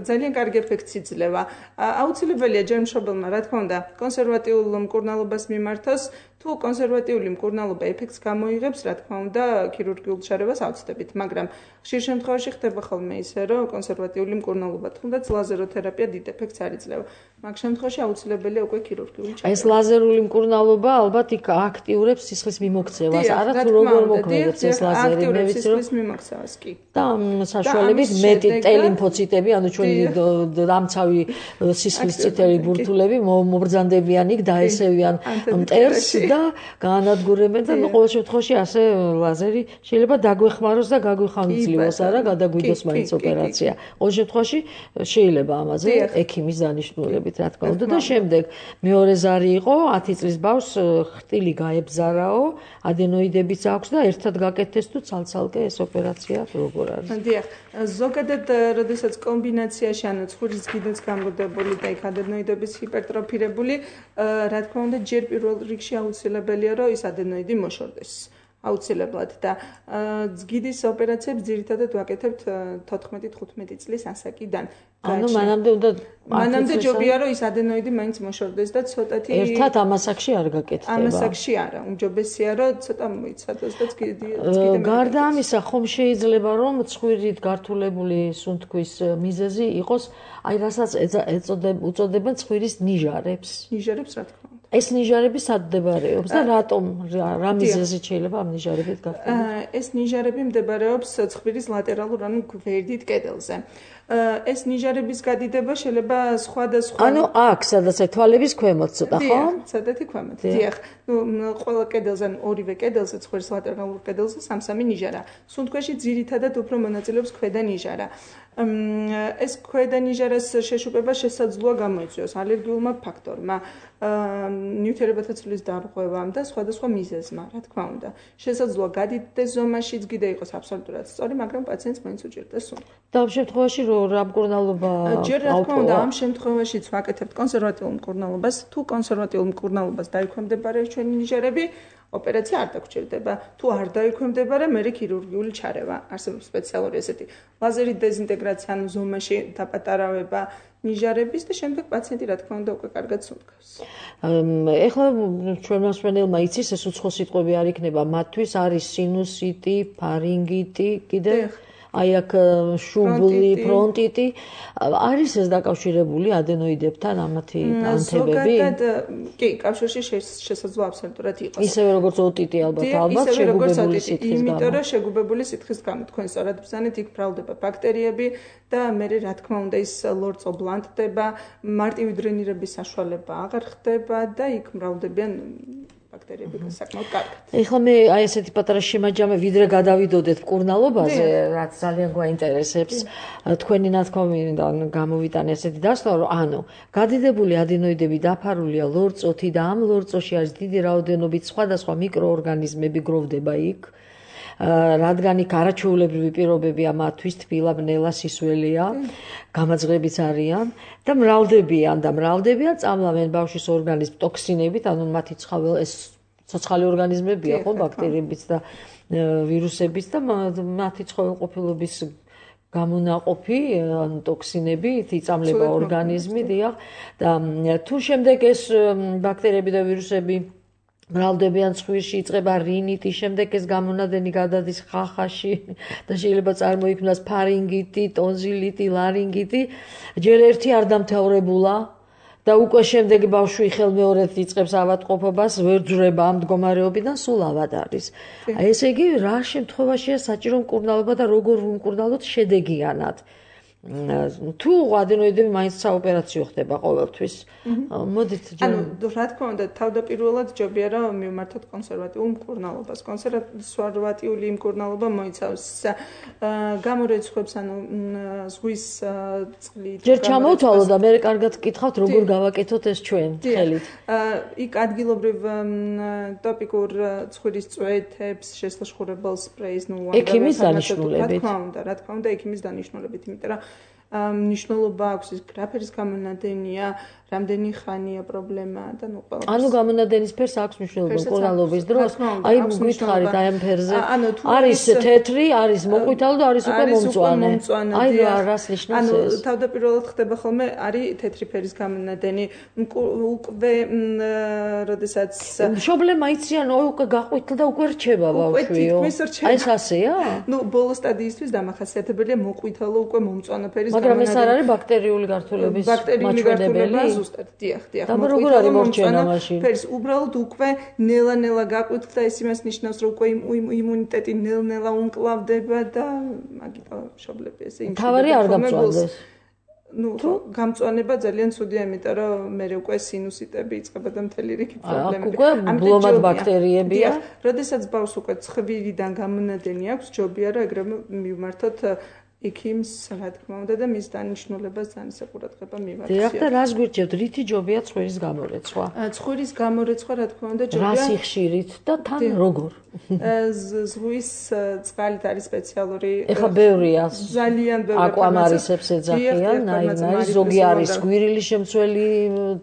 ძალიან კარგი ეფექტს იძლევა. აუცილებელია ჯერ მშობელმა, რა თქმა უნდა, კონსერვატიულ მკურნალობას მიმართოს. თუ კონსერვატიული მკურნალობა ეფექტს გამოიღებს, რა თქმა უნდა, ქირურგიულ ჩარევას ავწდებით, მაგრამ ხშირ შემთხვევაში ხდება ხოლმე ისე, რომ კონსერვატიული მკურნალობა, თუნდაც ლაზეროთერაპია დიდ ეფექტს არ იძლევა. მაგ შემთხვევაში აუცილებელია უკვე ქირურგიული ჩარევა. ეს ლაზერული მკურნალობა ალბათ იქ აქტიურებს სისხლის მიმოქცევას, არა თუ როგორ მოქმედებს ეს ლაზერი, მე ვიცი რომ სისხლის მიმოქცევას კი. და საშუალებით მეტი ტელიმფოციტები, ანუ ჩვენი დამცავი სისხლის წითელი ბურთულები მობრძანდებიან იქ, დაესევიან მტერს და გაანადგურებენ და ყოველ შემთხვევაში ასე ლაზერი შეიძლება დაგვეხმაროს და გაგვიხამძლივოს, არა, გადაგვიდოს მაინც ოპერაცია. ყოველ შემთხვევაში შეიძლება ამაზე ექიმის დანიშნულებით, რა თქმა უნდა, და შემდეგ მეორე ზარი იყო 10 წლის ბავშვს ხტილი გაებზარაო, ადენოიდებიც აქვს და ერთად გაკეთდეს თუ ცალ-ცალკე ეს ოპერაცია როგორ არის? დიახ, ზოგადად როდესაც კომბინაციაში, ანუ ცხვირის გიდოც გამგდებული და იქ ადენოიდების ჰიპერტროფირებული, რა თქმა უნდა, ჯერ პირველ რიგში აუცილებელია, რომ ის ადენოიდი მოშორდეს. აუცილებლად და ძგიდის ოპერაციებს ძირითადად ვაკეთებთ 14-15 წლის ასაკიდან. ანუ მანამდე ჯობია რომ ის ადენოიდი მაინც მოშორდეს და ცოტათი ერთად ამ ასაკში არ გაკეთდება. ამ ასაკში არა, უმჯობესია რომ ცოტა მოიცადოს და ძგიდი. გარდა ამისა, ხომ შეიძლება რომ ცხვირით გართულებული სუნთქვის მიზეზი იყოს, აი რასაც უწოდებენ ცხვირის ნიჟარებს. ნიჟარებს რა თქმა უნდა. ეს ნიჟარები სად მდებარეობს და რატომ რა მიზეზით შეიძლება ამ ნიჟარებით გახდეს? ეს ნიჟარები მდებარეობს ცხვირის ლატერალურ ანუ გვერდით კედელზე. ეს ნიჟარების გადიდება შეიძლება სხვადასხვა ანუ აქ სადაც თვალების ქვემოთ ცოტა ხო? სადაც ქვემოთ. დიახ. ყველა კედელზე ან ორივე კედელზე ცხვირის ლატერალურ კედელზე სამ-სამი ნიჟარა. სუნთქვაში ძირითადად უფრო მონაწილეობს ქვედა ნიჟარა. ეს ქვედა ნიჟარას შეშუპება შესაძლოა გამოიწვიოს ალერგიულმა ფაქტორმა, ნივთიერებათა ცვლის დარღვევამ და სხვადასხვა მიზეზმა, რა თქმა უნდა. შესაძლოა გადიდეს ზომაშიც კიდე იყოს აბსოლუტურად სწორი, მაგრამ პაციენტს მაინც უჭირდეს სუნთქვა. და ამ შემთხვევაში რა მკურნალობა ჯერ რა თქმა უნდა ამ შემთხვევაშიც ვაკეთებთ კონსერვატიულ მკურნალობას, თუ კონსერვატიულ მკურნალობას დაიქვემდებარა ჩვენი ნიჟარები, ოპერაცია არ დაგჭირდება. თუ არ დაიქვემდებარა, მერე ქირურგიული ჩარევა. არსებობს სპეციალური ესეთი ლაზერით დეზინტეგრაცია, ანუ ზომაში დაპატარავება ნიჟარების და შემდეგ პაციენტი რა თქმა უნდა უკვე კარგად სუნთქავს. ეხლა ჩვენ მოსმენელმა იცის ეს უცხო სიტყვები არ იქნება მათთვის არის სინუსიტი, ფარინგიტი, კიდე აი აქ შუბლი, ფრონტიტი არის ეს დაკავშირებული ადენოიდებთან ამათი ანთებები? ზოგადად კი, კავშირში შესაძლოა აბსოლუტურად იყოს. ისევე როგორც ოტიტი ალბათ შეგუბებული სითხის გამო. იმიტომ რომ შეგუბებული სითხის გამო თქვენ სწორად ბრძანეთ, იქ ბრალდება ბაქტერიები და მე რა თქმა უნდა ის ლორწო ბლანტდება, მარტივი დრენირების საშუალება აღარ ხდება და იქ მრავლდებიან ბაქტერიები საკმაოდ კარგად. ეხლა მე აი ესეთი პატარა შემაჯამე ვიდრე გადავიდოდეთ მკურნალობაზე, რაც ძალიან გვაინტერესებს. თქვენი ნათქვამიდან გამოვიტანე ესეთი დასკვნა, რომ ანუ გადიდებული ადენოიდები დაფარულია ლორწოთი და ამ ლორწოში არის დიდი რაოდენობით სხვადასხვა მიკროორგანიზმები გროვდება იქ. რადგან იქ არაჩვეულებრივი პირობებია მათთვის, თბილა, ბნელა, სისველია, გამაძღებიც არიან და მრავლდებიან, წამლავენ ბავშვის ორგანიზმს ტოქსინებით, ანუ მათი ეს ცოცხალი ორგანიზმებია ხო, ბაქტერიებიც და ვირუსებიც და მათი ცხოველყოფილობის გამონაყოფი, ანუ ტოქსინები იწამლება ორგანიზმი, დიახ, და თუ შემდეგ ეს ბაქტერიები და ვირუსები მრავლდებიან ცხვირში, იწყება რინიტი, შემდეგ ეს გამონადენი გადადის ხახაში და შეიძლება წარმოიქმნას ფარინგიტი, ტონზილიტი, ლარინგიტი. ჯერ ერთი არ დამთავრებულა და უკვე შემდეგ ბავშვი ხელმეორედ იწყებს ავადმყოფობას, ვერ ძვრება ამ მდგომარეობიდან, სულ ავად არის. ესე იგი, რა შემთხვევაშია საჭირო მკურნალობა და როგორ ვუმკურნალოთ შედეგიანად? თუ ადენოიდები მაინც საოპერაციო ხდება ყოველთვის. მოდით ანუ რა თქმა უნდა თავდაპირველად ჯობია რომ მივმართოთ კონსერვატიულ მკურნალობას. კონსერვატიული მკურნალობა მოიცავს გამორეცხვებს, ანუ ზღვის წყლით. ჯერ ჩამოვთვალო და მე კარგად გკითხავთ როგორ გავაკეთოთ ეს ჩვენ ხელით. იქ ადგილობრივ ტოპიკურ ცხვირის წვეთებს, შესლაშხურებელ სპრეის, ექიმის დანიშნულებით. რა თქმა უნდა ექიმის დანიშნულებით, იმიტომ რომ მნიშვნელობა აქვს ის გრაფერის გამონადენია, რამდენი ხანია პრობლემა და ნუ ყველა. ანუ გამონადენის ფერს აქვს მნიშვნელობა მკურნალობის დროს. აი გითხარით აი ამ ფერზე. არის თეთრი, არის მოყვითალო და არის უკვე მომწვანე. აი რას ნიშნავს ეს? ანუ თავდაპირველად ხდება ხოლმე არის თეთრი ფერის გამონადენი. უკვე როდესაც შობლემა იციან, უკვე გაყვითლდა, უკვე რჩება ბავშვიო. აი ეს ასეა? ნუ ბოლო სტადიისთვის დამახასიათებელია მოყვითალო უკვე მომწვანე ფერის გამონადენი. მაგრამ ეს არ არის ბაქტერიული გართულების მაჩვენებელი? ზუსტად, დიახ. და როგორ არის მორჩენა მაშინ? ფერს უბრალოდ უკვე ნელა-ნელა გაყვითლდა, ეს იმას ნიშნავს, რომ უკვე იმუნიტეტი ნელ-ნელა უმკლავდება და მაგიტო შობლები ესე იმჩნევა. თავარი არ გამწვანდეს. ნუ გამწვანება ძალიან ცუდია, იმიტომ რომ მე უკვე სინუსიტები იწყება და მთელი რიგი პრობლემები. უკვე ბლომად ბაქტერიებია. როდესაც ბავშვს უკვე ცხვირიდან გამონადენი აქვს, ჯობია რომ ეგრევე მივმართოთ ექიმს, რა თქმა უნდა და მის დანიშნულებას ძალიან საყურადღება მივაქციოთ. დიახ და რას გვირჩევთ? რითი ჯობია ცხვირის გამორეცვა? ცხვირის გამორეცვა, რა თქმა უნდა, ჯობია. რა სიხშირით და თან როგორ? ზღვის წყალით არის სპეციალური. ეხა ბევრია. ძალიან ბევრი. აკვამარისებს ეძახიან, ნაირ ზოგი არის გვირილის შემცველი,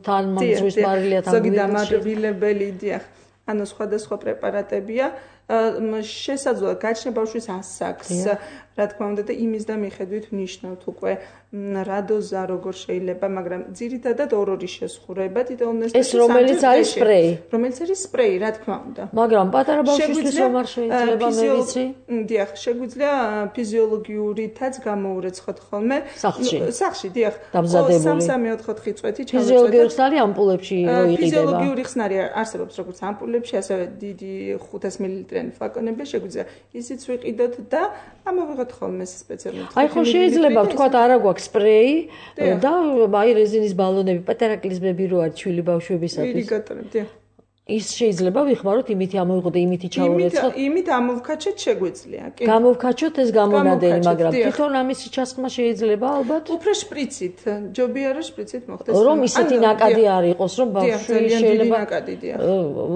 თან ზღვის მარილია, თან ზოგი დამარილებელი, დიახ. ანუ სხვადასხვა პრეპარატებია. შესაძლოა გაჩნია ბავშვის ასაკს, რა თქმა უნდა და იმის და მიხედვით ვნიშნავთ უკვე რა დოზა როგორ შეიძლება, მაგრამ ძირითადად ორ-ორი შესხურება თითო უნივერსიტეტში. ეს რომელიც არის სპრეი. რომელიც არის სპრეი, რა თქმა უნდა. მაგრამ პატარა ბავშვისთვის რომ არ შეიძლება მე ვიცი. დიახ, შეგვიძლია ფიზიოლოგიურითაც გამოურეცხოთ ხოლმე. სახში, დიახ. დამზადებული. 3-3-4 წვეთი ჩავეწოთ. ფიზიოლოგიური ხსნარი ამპულებში რო იყიდება. ფიზიოლოგიური ხსნარი არსებობს როგორც ამპულებში, ასევე დიდი 500 მლ-იანი ფლაკონები შეგვიძლია ისიც ვიყიდოთ და ამოვიღოთ ხოლმე სპეციალურად. აი ხო შეიძლება ვთქვა არა გვაქვს სპრეი და აი რეზინის ბალონები, პატარა კლიზმები რო არის ჩვილი ბავშვებისათვის. ირიგატორები, დიახ. ის შეიძლება ვიხმაროთ იმითი ამოვიღოთ და იმითი ჩავურეცხოთ. იმით ამოვქაჩოთ შეგვიძლია, კი. გამოვქაჩოთ ეს გამონადენი, მაგრამ თვითონ ამისი ჩასხმა შეიძლება ალბათ. უფრო შპრიცით, ჯობია რომ შპრიცით მოხდეს. რომ ისეთი ნაკადი არ იყოს, რომ ბავშვი შეიძლება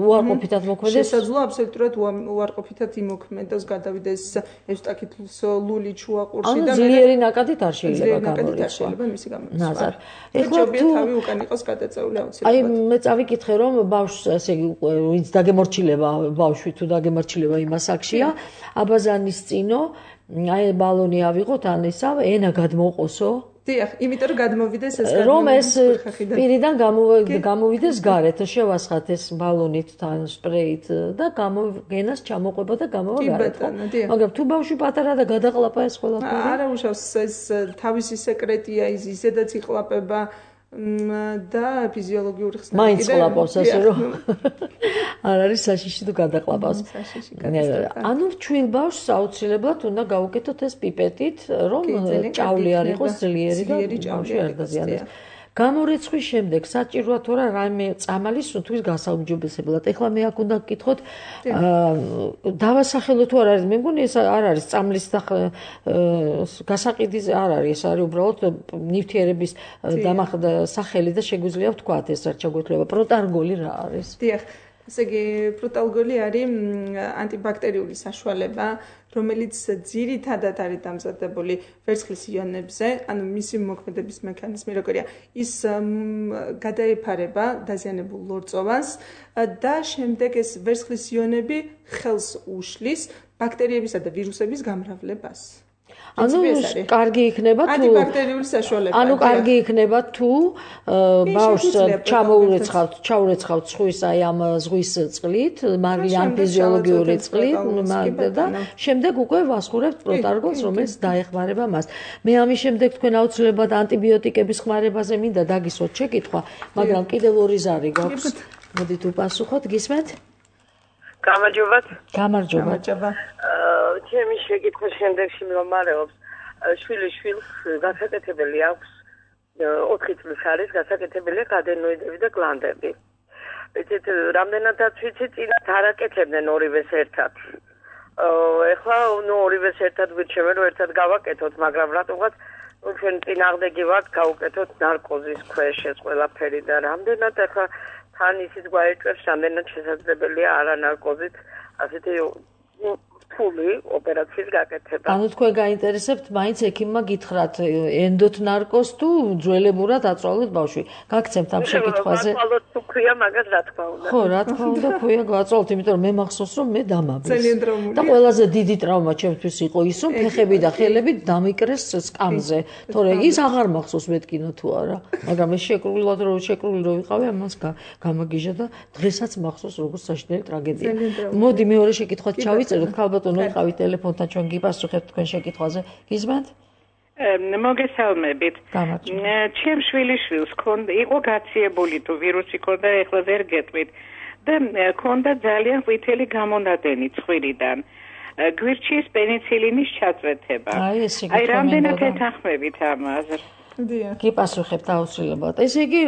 უარყოფითად მოქმედდეს. შესაძლოა აბსოლუტურად უარყოფითად იმოქმედოს, გადავიდეს ევსტაკის ლული ჩუაყურში და ძლიერი ნაკადით არ შეიძლება გამორიცხვა. შეიძლება მისი გამორიცხვა. ეხლა ჯობია თავი უკან იყოს გადაწეული აუცილებლად. აი მე წავიკითხე რომ ბავშვს ვინც დაგემორჩილება ბავშვი თუ დაგემორჩილება იმ ასაკშია აბაზანის წინო აი ბალონი ავიღოთ ან ისა ენა გადმოყოსო დიახ იმიტომ რომ გადმოვიდეს ეს რომ ეს პირიდან გამოვიდეს გარეთ შევასხათ ეს ბალონით თან სპრეით და გამოგენას ჩამოყვება და გამოვა გარეთ მაგრამ თუ ბავშვი პატარა და გადაყლაპა ეს ყველაფერი არა უშავს ეს თავისი სეკრეტია ისედაც იყლაპება და ფიზიოლოგიური ხსნარი მაინც ყლაპავს ასე რომ არ არის საშიში თუ გადაყლაპავს ანუ ჩვილ ბავშვს აუცილებლად უნდა გავუკეთოთ ეს პიპეტით რომ ჭავლი არ იყოს ძლიერი და ბავშვი არ დაზიანდეს გამორიცხვის შემდეგ საჭიროა თუ რა რაიმე წამალი სუნთქვის გასაუმჯობესებლად. ეხლა მე აქ უნდა გკითხოთ დავასახელო თუ არ არის. მე მგონი ეს არ არის წამლის გასაყიდის არ არის. ეს არის უბრალოდ ნივთიერების სახელი და შეგვიძლია ვთქვათ ეს რაც შეგვეძლება. პროტარგოლი რა არის? დიახ. ესე იგი პროტარგოლი არის ანტიბაქტერიული საშუალება, რომელიც ძირითადად არის დამზადებული ვერცხლის იონებზე, ანუ მისი მოქმედების მექანიზმი როგორია, ის გადაეფარება დაზიანებულ ლორწოვანს და შემდეგ ეს ვერცხლის იონები ხელს უშლის ბაქტერიებისა და ვირუსების გამრავლებას. ანუ კარგი იქნება თუ ანტიბაქტერიული საშუალება. ანუ კარგი იქნება თუ ბავშვს ჩაურეცხავთ ზღვის აი ამ ზღვის წყლით, მაგრამ ფიზიოლოგიური წყლით და შემდეგ უკვე ვასხურებთ პროტარგოლს, რომელიც დაეხმარება მას. მე ამის შემდეგ თქვენ აუცილებლად ანტიბიოტიკების ხმარებაზე მინდა დაგისვათ შეკითხვა, მაგრამ კიდევ ორი ზარი გვაქვს. მოდით უპასუხოთ, გისმენთ? გამარჯობათ. გამარჯობა. ჩემი შეკითხვის შემდეგში მდგომარეობს შვილს გასაკეთებელი აქვს 4 წლის არის გასაკეთებელი ადენოიდები და გლანდები. იცით რამდენადაც ვიცით წინათ არაკეთებდნენ ორივეს ერთად. ეხლა ორივეს ერთად გვირჩევენ რომ ერთად გავაკეთოთ, მაგრამ რატომღაც ჩვენ წინააღმდეგი ვართ გავუკეთოთ ნარკოზის ქვეშ ეს ყველაფერი და რამდენად ეხლა თან ისიც გვაეჭვებს რამდენად შესაძლებელია არანარკოზით ასეთი ფული ოპერაციის გაკეთება. ანუ თქვენ გაინტერესებთ მაინც ექიმმა გითხრათ ენდოთ ნარკოზს თუ ძველებურად აწვალოთ ბავშვი. გაგცემთ ამ შეკითხვაზე. აწვალოთ თუ ქვია მაგას რა თქმა უნდა. ხო, რა თქმა უნდა ქვია გააწვალოთ, იმიტომ რომ მე მახსოვს რომ მე დამაბეს. და ყველაზე დიდი ტრავმა ჩემთვის იყო ის რომ ფეხები და ხელები დამიკრეს სკამზე. თორე ის აღარ მახსოვს მეთქინო თუ არა. მაგრამ ეს შეკრულად რო ვიყავი ამას გამაგიჟა და დღესაც მახსოვს როგორც საშინელი ტრაგედია. მოდი მეორე შეკითხვას ჩავიწეროთ ქალბატონო ვიყავით ტელეფონთან ჩვენ გიპასუხებთ თქვენ შეკითხვაზე. გიზმენთ? მოგესალმებით. ჩემ შვილიშვილს იყო გაციებული თუ ვირუსი ქონდა, ეხლა ვერ გეტყვით და ქონდა ძალიან ყვითელი გამონადენი ცხვირიდან. გვირჩიეს პენიცილინის ჩაწვეთება. აი რამდენად ეთანხმებით ამას? გიპასუხებთ აუცილებლად. ესე იგი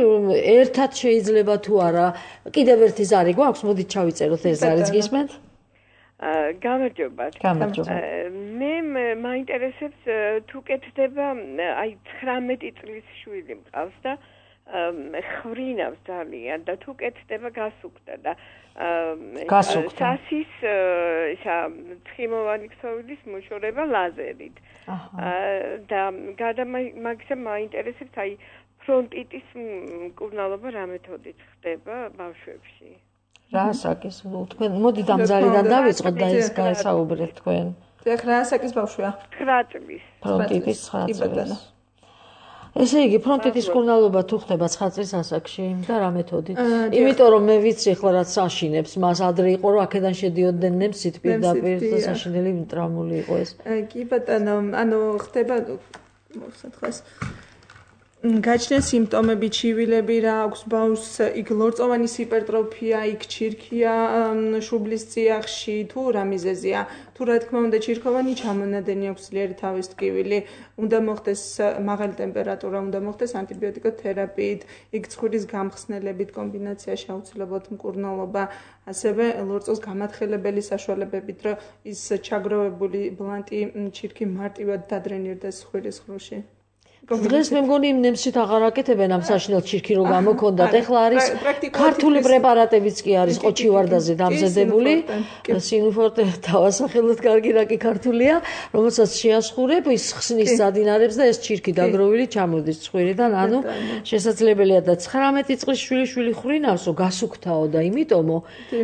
ერთად შეიძლება თუ არა, კიდევ ერთი ზარი გვაქვს, მოდით ჩავიწეროთ ეს ზარიც გისმენთ? გამარჯობათ. მე მაინტერესებს თუ კეთდება აი 19 წლის შვილი მყავს და ხრინავს ძალიან და თუ კეთდება გასუქდა და სასის ისა ცხიმოვანი ქსოვილის მოშორება ლაზერით. და მაგისა მაინტერესებს აი ფრონტიტის მკურნალობა რა მეთოდით ხდება ბავშვებში? რაასაკის თქვენ მოდით ამ ზარიდან დავიწყოთ და ის გაესაუბრეთ თქვენ. დიახ, რაასაკის ბავშვია? 9 წლის. ფრონტიტის 9 წლის. ესე იგი, ფრონტიტის მკურნალობა თუ ხდება 9 წლის ასაკში და რა მეთოდით? იმიტომ რომ მე ვიცი ახლა რაც საშინებს, მას ადრე იყო რომ აქედან შედიოდნენ ნემსით პირდაპირ და საშინელი ტრამული იყო ეს. კი ბატონო, ანუ ხდება მოსათხეს გაჩნდა სიმპტომები, ჩივილები რა აქვს ბავშვს, იქ ლორწოვანი ჰიპერტროფია, იქ ჩირქია შუბლის წიაღში, თუ რა მიზეზია. თუ რა თქმა უნდა ჩირქოვანი ჩამონადენი აქვს ძლიერი თავის ტკივილი, უნდა მოხდეს მაღალი ტემპერატურა, უნდა მოხდეს ანტიბიოტიკოთერაპიით, იქ ცხვირის გამხსნელებით კომბინაციაში აუცილებლად მკურნალობა, ასევე ლორწოს გამათხელებელი საშუალებებით, რომ ის ჩაგროვებული ბლანტი ჩირქი მარტივად დადრენირდეს ცხვირის ხროში. დღეს მე მგონი იმ ნემსით აღარ აკეთებენ ამ საშინელ ჩირქი რო გამოქონდათ. ეხლა არის ქართული პრეპარატებიც კი არის ყოჩივარდაზე დამზადებული. სინუფორტე დავასახელოთ კარგი რა კი ქართულია, რომელსაც შეასხურებ, ის ხსნის სადინარებს და ეს ჩირქი დაგროვილი ჩამოდის ცხვირიდან. ანუ შესაძლებელია და 19 წლის შვილი ხრინავსო გასუქთაო და იმიტომო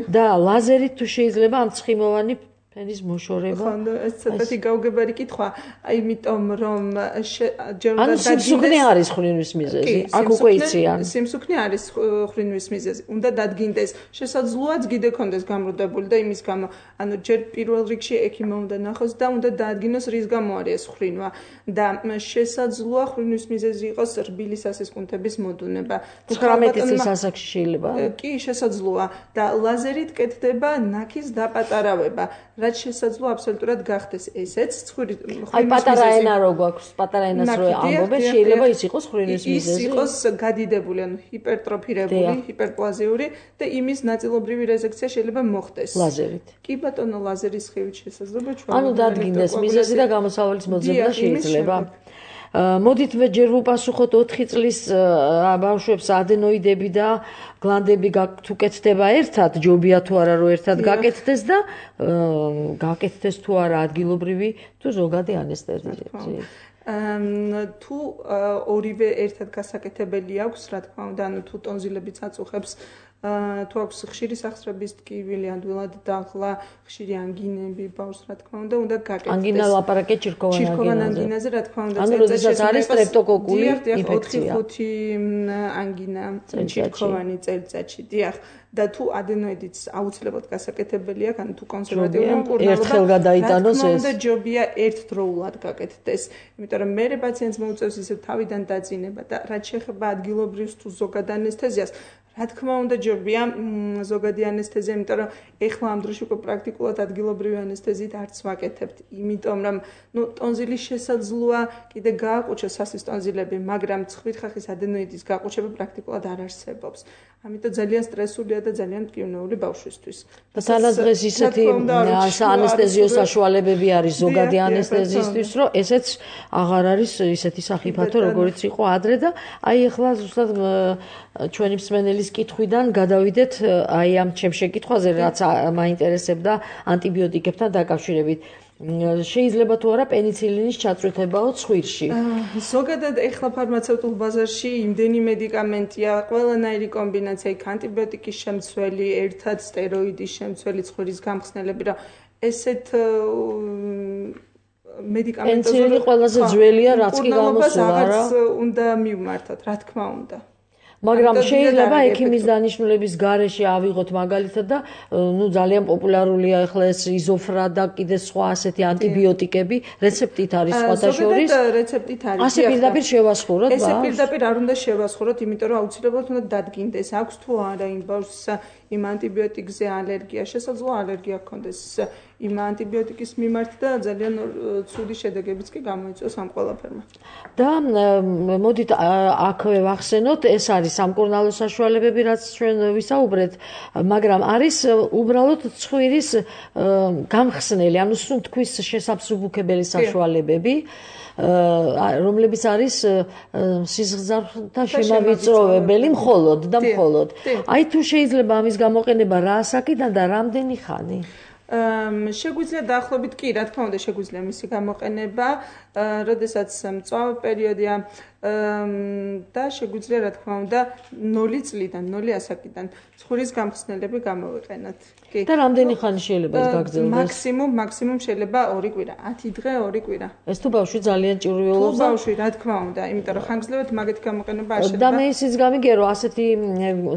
და ლაზერით თუ შეიძლება ამ ცხიმოვანი ენის მოშორება. ხო, ეს ცოტათი გაუგებარი კითხვა, იმიტომ რომ ანუ სიმსუქნე არის ხრინვის მიზეზი. აქ უკვე იციან. სიმსუქნე არის ხრინვის მიზეზი. უნდა დადგინდეს, შესაძლოა გიდე კონდეს გამრუდებული და იმის გამო, ანუ ჯერ პირველ რიგში ექიმმა უნდა ნახოს და უნდა დაადგინოს რის გამო არის ეს ხრინვა და შესაძლოა ხრინვის მიზეზი იყოს რბილი სასისკუნთების მოდუნება. 19 წლის ასაკში შეიძლება? კი, შესაძლოა და ლაზერით კეთდება ნაქის დაპატარავება. რაც შესაძლოა აბსოლუტურად გახდეს ესეც ცხვირის აი პატარა ენა რო გვაქვს პატარა ენას რო ამბობენ შეიძლება ის იყოს ხრინვის მიზეზი ის იყოს გადიდებული ანუ ჰიპერტროფირებული ჰიპერპლაზიური და იმის ნაწილობრივი რეზექცია შეიძლება მოხდეს ლაზერით კი ბატონო ლაზერის ხივით შესაძლოა ჩვენ ანუ დადგინდეს მიზეზი და გამოსავლის მოძებნა შეიძლება მოდით მე ჯერ ვუპასუხოთ 4 წლის ბავშვებს ადენოიდები და გლანდები თუ კეთდება ერთად, ჯობია თუ არა რომ ერთად გაკეთდეს და გაკეთდეს თუ არა ადგილობრივი თუ ზოგადი ანესთეზია. თუ ორივე ერთად გასაკეთებელი აქვს, რა თქმა უნდა, ანუ თუ ტონზილებიც აწუხებს თუ აქვს ხშირი სახსრების ტკივილი, ადვილად დაღლა, ხშირი ანგინები ბავშვს, რა თქმა უნდა გაკეთდეს. ანგინა ლაპარაკე ჩირქოვან ანგინაზე, რა თქმა უნდა, ანუ როდესაც არის სტრეპტოკოკული ინფექცია. 4-5 ანგინა ჩირქოვანი წელიწადში, დიახ. და თუ ადენოიდიც აუცილებლად გასაკეთებელი აქვს, ანუ თუ კონსერვატიული მკურნალობა ერთხელ გადაიტანოს ეს. და ჯობია ერთდროულად გაკეთდეს, იმიტომ რომ მერე პაციენტს მოუწევს ისე თავიდან დაძინება და რაც შეეხება ადგილობრივ თუ ზოგად ანესთეზიას რა თქმა უნდა ჯობია ზოგადი ანესთეზია, იმიტომ რომ ეხლა ამ დროში უკვე პრაქტიკულად ადგილობრივი ანესთეზიით არც ვაკეთებთ, იმიტომ რომ ტონზილის შესაძლოა კიდე გააყუჩოს სასის ტონზილები, მაგრამ ცხვირხახის ადენოიდის გაყუჩება პრაქტიკულად არ არსებობს. ამიტომ ძალიან სტრესულია და ძალიან მტკივნეული ბავშვისთვის. თანადროეს ისეთი ანესთეზიო საშუალებები არის ზოგადი ანესთეზიისთვის, რომ ესეც აღარ არის ისეთი სახიფათო, როგორიც იყო ადრე და აი ეხლა ზუსტად ჩვენი მსმენელის კითხვიდან გადავიდეთ აი ამ ჩემ შეკითხვაზე, რაც მაინტერესებდა ანტიბიოტიკებთან დაკავშირებით. შეიძლება თუ არა პენიცილინის ჩაწვითებაო ცხვირში. ზოგადად ეხლა ფარმაცევტულ ბაზარში იმდენი მედიკამენტია, ყველანაირი კომბინაცია, იქ ანტიბიოტიკის შემცველი, ერთად სტეროიდის შემცველი, ცხვირის გამხსნელები, რა ესეთ მედიკამენტებს პენიცილინი ყველაზე ძველია, რაც კი გამოსულა რა. უნდა მივმართოთ, რა თქმა უნდა. მაგრამ შეიძლება ექიმის დანიშნულების გარეშე ავიღოთ მაგალითად და ძალიან პოპულარულია ახლა ეს იზოფრა და კიდე სხვა ასეთი ანტიბიოტიკები რეცეპტით არის სხვათა შორის რეცეპტით არის ასე პირდაპირ შევასხუროთ ესე პირდაპირ არ უნდა შევასხუროთ იმიტომ რომ აუცილებლად უნდა დადგინდეს აქვს თუ არა იმ ბავშვს იმ ანტიბიოტიკზე ალერგია შესაძლოა ალერგია ჰქონდეს იმ ანტიბიოტიკის მიმართ და ძალიან ცუდი შედეგებიც კი გამოიწვევს ამ ყველაფერმა და მოდით აქვე ვახსენოთ ეს არის სამკურნალო საშუალებები რაც ჩვენ ვისაუბრეთ მაგრამ არის უბრალოდ ცხვირის გამხსნელი ანუ სუნთქვის შესაბსუბუქებელი საშუალებები რომლებიც არის სიზღძართა შემავიწროვებელი მხოლოდ და მხოლოდ აი თუ შეიძლება ამის გამოყენება რა ასაკიდან და რამდენი ხანი შეგვიძლია დაახლოებით კი, რა თქმა უნდა, შეგვიძლია მისი გამოყენება, როდესაც მწვავე პერიოდია, და შეგვიძლია რა თქმა უნდა 0 წლიდან 0 ასაკიდან ცხურის გამხსნელები გამოვიყენოთ. კი. და რამდენი ხანი შეიძლება გაგრძელდეს? მაქსიმუმ შეიძლება 2 კვირა, 10 დღე 2 კვირა. ეს თუ ბავშვი ძალიან ჭირვიულობს. თუ ბავშვი რა თქმა უნდა, იმიტომ რომ ხანგრძლივად მაგეთი გამოყენება არ შეიძლება. და მე ისიც გამიგერო, ასეთი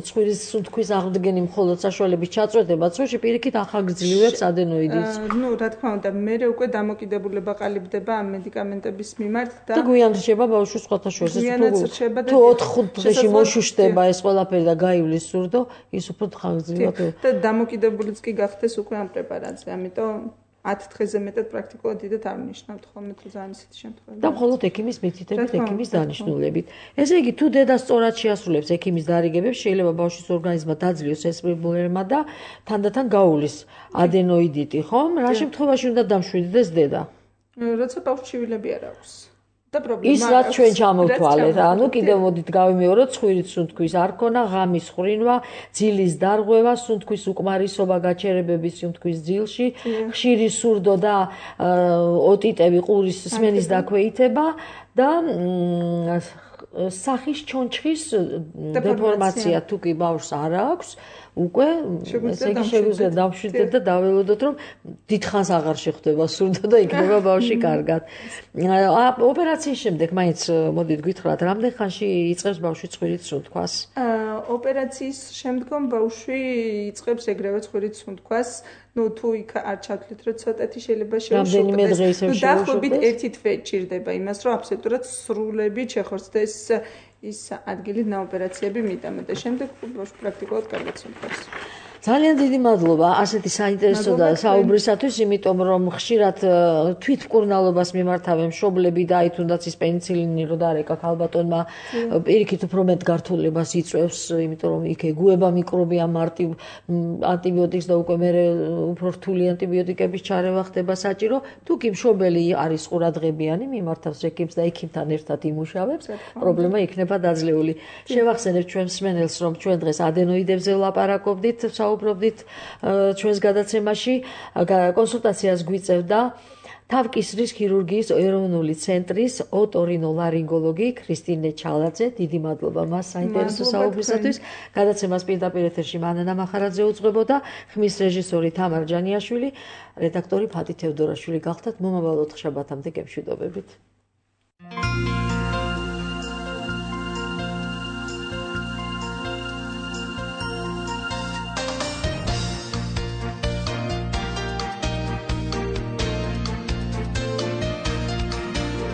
ცხურის სუნთქვის აღდგენი მხოლოდ საშუალების ჩაწვეტება ცხვირში პირიქით ახალგრძელებს ადენოიდებს. რა თქმა უნდა, მე უკვე დამოკიდებულება ყალიბდება ამ მედიკამენტების მიმართ და გვიან რჩება ბავშვის სხვათა შორის. თუ 4-5 დღეში მოშუშტება ეს ყველაფერი და გაივლის სურდო, ის უფრო ხანგრძლივად. და დამოკიდებულიც კი გახდეს უკვე ამ პრეპარატზე, ამიტომ 10 დღეზე მეტად პრაქტიკულად დიდად არ ნიშნავთ ხოლმე თუ ძალიან ისეთი შემთხვევები. და მხოლოდ ექიმის მითითებით, ექიმის დანიშნულებით. ესე იგი, თუ დედა სწორად შეასრულებს ექიმის დარიგებებს, შეიძლება ბავშვის ორგანიზმმა დაძლიოს ეს პრობლემა და თანდათან გაუვლის ადენოიდიტი, ხომ? რა შემთხვევაში უნდა დამშვიდდეს დედა? როცა ბავშვს ჩივილები არ აქვს. და პრობლემა ის რაც ჩვენ ჩამოვთვალეთ, ანუ კიდევ მოდით გავიმეოროთ, ცხვრით სუნთქვის არ ქონა, ღამის ხრინვა, ძილის დარღვევა, სუნთქვის უკმარისობა, გაჩერებების სუნთქვის ძილში, ხშირი სურდო და ოტიტები, ყურის სმენის დაქვეითება და სახის ჩონჩხის დეფორმაცია თუ კი ბავშვს არ აქვს, უკვე ესე იგი შეგვიძლია დავშვიდეთ და დაველოდოთ, რომ დიდხანს აღარ შეხვდება სურდო და იქნება ბავშვი კარგად. ოპერაციის შემდეგ მაინც მოდით გითხრათ, რამდენ ხანში იწყებს ბავშვი ცხვრით სუნთქვას? ოპერაციის შემდგომ ბავშვი იწყებს ეგრევე ცხვრით სუნთქვას. თუ იქ არ ჩავთვლით, რომ ცოტათი შეიძლება შეუშუქდეს. დაახლოებით 1 თვე ჭირდება იმას, რომ აბსოლუტურად სრულებით შეხორცდეს ის ადგილი ნაოპერაციები მიტანა და შემდეგ ბავშვი პრაქტიკულად კარგად სუნთქავს. ძალიან დიდი მადლობა ასეთი საინტერესო და საუბრისათვის, იმიტომ რომ ხშირად თვითმკურნალობას მიმართავენ მშობლები და აი თუნდაც ის პენიცილინი რო დარეკა ქალბატონმა პირიქით უფრო მეტ გართულებას იწვევს, იმიტომ რომ იქ ეგუება მიკრობი ამ ანტიბიოტიკს და უკვე მე უფრო რთული ანტიბიოტიკების ჩარევა ხდება საჭირო. თუ კი მშობელი არის ყურადღებიანი, მიმართავს ექიმს და ექიმთან ერთად იმუშავებს, პრობლემა იქნება დაძლეული. შევახსენებ ჩვენს მსმენელს, რომ ჩვენ დღეს ადენოიდებზე ვლაპარაკობდით, საუბრობდით ჩვენს გადაცემაში, კონსულტაციას გვიწევდა თავკისრის ქირურგიის ეროვნული ცენტრის ოტორინოლარინგოლოგი ქრისტინე ჩალაძე. დიდი მადლობა მას საინტერესო საუბრისათვის. გადაცემას პირდაპირ ეთერში მანანა მახარაძე უძღვებოდა, ხმის რეჟისორი თამარ ჯანიაშვილი, რედაქტორი ფათი თევდორაშვილი გახდათ. მომავალ 4 შაბათამდე გემშვიდობებით.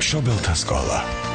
მშობელთა სკოლა